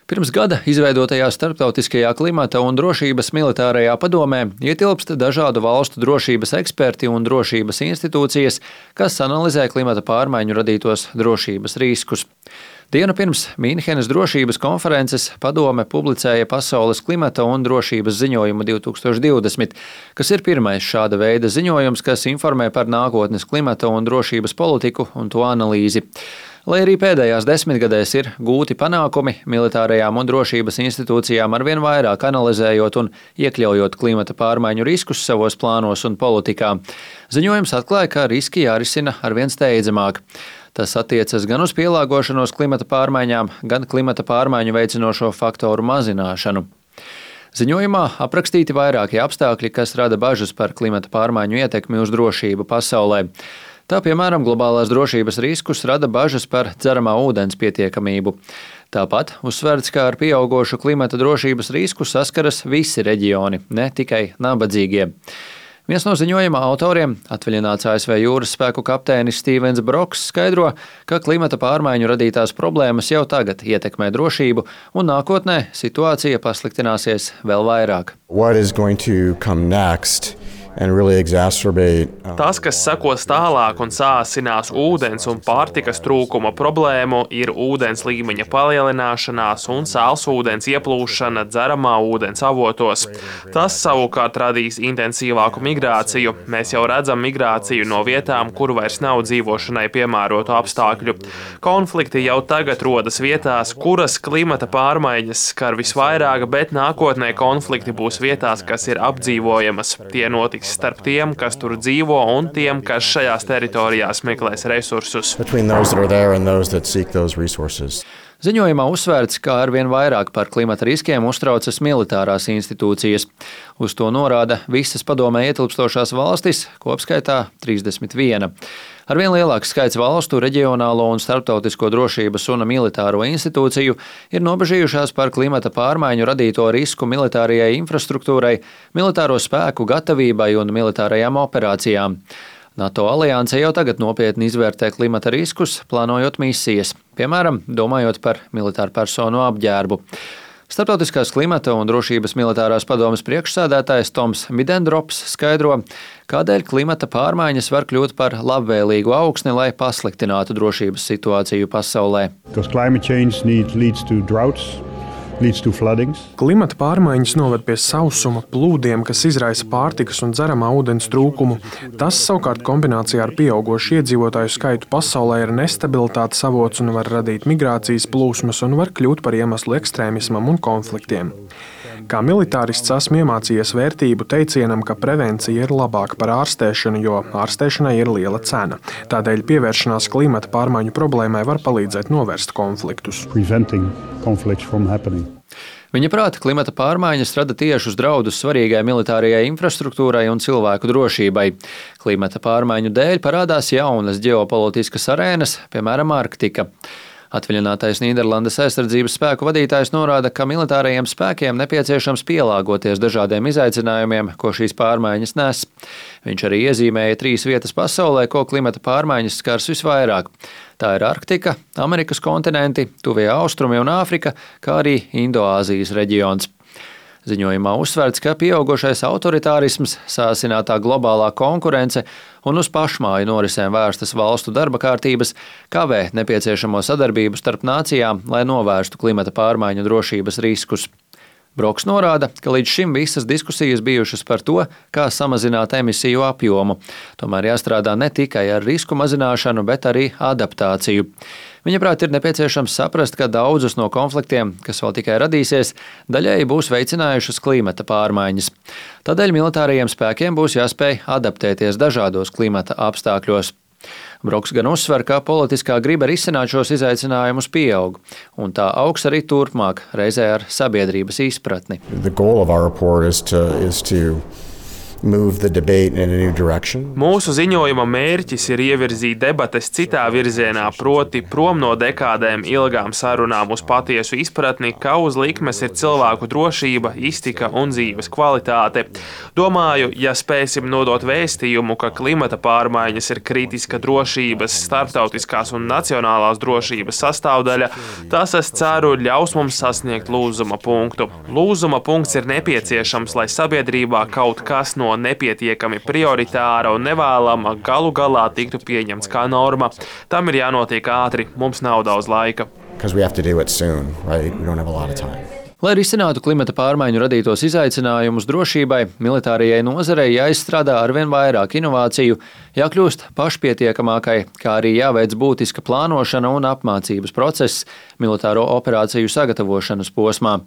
Pirms gada izveidotajā Starptautiskajā klimata un drošības militārajā padomē ietilpst dažādu valstu drošības eksperti un drošības institūcijas, kas analizē klimata pārmaiņu radītos drošības riskus. Dienu pirms Mīnhenes drošības konferences padome publicēja Pasaules klimata un drošības ziņojumu 2020, kas ir pirmais šāda veida ziņojums, kas informē par nākotnes klimata un drošības politiku un to analīzi. Lai arī pēdējās desmitgadēs ir gūti panākumi, militārajām un drošības institūcijām arvien vairāk analizējot un iekļaujot klimata pārmaiņu riskus savos plānos un politikā, ziņojums atklāja, ka riski jārisina arvien steidzamāk. Tas attiecas gan uz pielāgošanos klimata pārmaiņām, gan klimata pārmaiņu veicinošo faktoru mazināšanu. Ziņojumā aprakstīti vairākie apstākļi, kas rada bažas par klimata pārmaiņu ietekmi uz drošību pasaulē. Tā, piemēram, globālās drošības riskus rada bažas par dzeramā ūdens pietiekamību. Tāpat uzsverts, ka ar pieaugošu klimata drošības risku saskaras visi reģioni, ne tikai nabadzīgie. Viens no ziņojuma autoriem, atvaļināts ASV jūras spēku kapteinis Stevens Broks, skaidro, ka klimata pārmaiņu radītās problēmas jau tagad ietekmē drošību, un nākotnē situācija pasliktināsies vēl vairāk. Tas, kas sekos tālāk un sāsinās ūdens un pārtikas trūkuma problēmu, ir ūdens līmeņa palielināšanās un sālsūdens ieplūšana dzeramā ūdens avotos. Tas savukārt radīs intensīvāku migrāciju. Mēs jau redzam migrāciju no vietām, kur vairs nav dzīvošanai piemērotu apstākļu. Konflikti jau tagad rodas vietās, kuras klimata pārmaiņas skar visvairāk, bet nākotnē konflikti būs vietās, kas ir apdzīvojamas. Tie notiks starp tiem, kas tur dzīvo, un tiem, kas šajās teritorijās meklēs resursus. Ziņojumā uzsvērts, ka arvien vairāk par klimata riskiem uztraucas militārās institūcijas. Uz to norāda visas padomē ietilpstošās valstis, kopskaitā 31. Arvien lielāks skaits valstu, reģionālo un starptautisko drošības un militāro institūciju ir nobežījušās par klimata pārmaiņu radīto risku militārajai infrastruktūrai, militāro spēku gatavībai un militārajām operācijām. NATO alianse jau tagad nopietni izvērtē klimata riskus, plānojot misijas, piemēram, domājot par militāru personu apģērbu. Starptautiskās klimata un drošības militārās padomes priekšsēdētājs Toms Midendrops skaidro, kādēļ klimata pārmaiņas var kļūt par labvēlīgu augsni, lai pasliktinātu drošības situāciju pasaulē. Klimata pārmaiņas noved pie sausuma, plūdiem, kas izraisa pārtikas un dzeramā ūdens trūkumu. Tas savukārt kombinācijā ar pieaugošu iedzīvotāju skaitu pasaulē ir nestabilitātes avots un var radīt migrācijas plūsmas un var kļūt par iemeslu ekstrēmismam un konfliktiem. Kā militārists esmu iemācījies vērtību teicienam, ka prevencija ir labāka par ārstēšanu, jo ārstēšanai ir liela cena. Tādēļ pievēršanās klimata pārmaiņu problēmai var palīdzēt novērst konfliktus. Viņa prāta klimata pārmaiņas rada tiešus draudus svarīgai militārajai infrastruktūrai un cilvēku drošībai. Klimata pārmaiņu dēļ parādās jaunas ģeopolitiskas arēnas, piemēram, Arktika. Atvaļinātais Nīderlandes aizsardzības spēku vadītājs norāda, ka militārajiem spēkiem nepieciešams pielāgoties dažādiem izaicinājumiem, ko šīs pārmaiņas nes. Viņš arī iezīmēja 3 vietas pasaulē, ko klimata pārmaiņas skars visvairāk. Tā ir Arktika, Amerikas kontinenti, Tuvie Austrumi un Āfrika, kā arī Indoāzijas reģions. Ziņojumā uzsverts, ka pieaugušais autoritārisms, sāsinātā globālā konkurence un uz pašmāju norisēm vērstas valstu darba kārtības kavē nepieciešamo sadarbību starp nācijām, lai novērstu klimata pārmaiņu drošības riskus. Broks norāda, ka līdz šim visas diskusijas bijušas par to, kā samazināt emisiju apjomu. Tomēr jāstrādā ne tikai ar risku mazināšanu, bet arī adaptāciju. Viņaprāt, ir nepieciešams saprast, ka daudzus no konfliktiem, kas vēl tikai radīsies, daļēji būs veicinājušas klimata pārmaiņas. Tādēļ militārajiem spēkiem būs jāspēj adaptēties dažādos klimata apstākļos. Broks gan uzsver, ka politiskā griba risināt šos izaicinājumus pieaug, un tā augs arī turpmāk, reizē ar sabiedrības izpratni. Mūsu ziņojuma mērķis ir ievirzīt debates citā virzienā, proti prom no dekādēm ilgām sarunām uz patiesu izpratni, ka uz likmes ir cilvēku drošība, iztika un dzīves kvalitāte. Domāju, ja spēsim nodot vēstījumu, ka klimata pārmaiņas ir kritiska drošības, starptautiskās un nacionālās drošības sastāvdaļa, tas, es ceru, ļaus mums sasniegt lūzuma punktu. Lūzuma punkts ir nepieciešams, lai sabiedrībā kaut kas no nepietiekami prioritāra un nevēlama galu galā tiktu pieņemts kā norma. Tam ir jānotiek ātri, mums nav daudz laika. Lai risinātu klimata pārmaiņu radītos izaicinājumus drošībai, militārajai nozarei jāizstrādā arvien vairāk inovāciju, jākļūst pašpietiekamākai, kā arī jāveic būtiska plānošana un apmācības process militāro operāciju sagatavošanas posmā.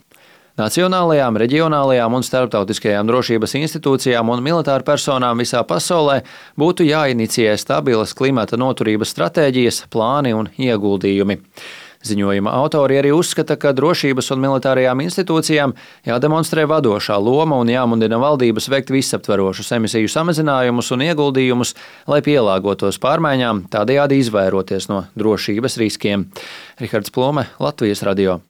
Nacionālajām, reģionālajām un starptautiskajām drošības institūcijām un militāru personām visā pasaulē būtu jāinicijē stabilas klimata noturības stratēģijas, plāni un ieguldījumi. Ziņojuma autori arī uzskata, ka drošības un militārajām institūcijām jādemonstrē vadošā loma un jāmudina valdības veikt visaptverošus emisiju samazinājumus un ieguldījumus, lai pielāgotos pārmaiņām, tādējādi izvairoties no drošības riskiem. Rihards Plume, Latvijas radio.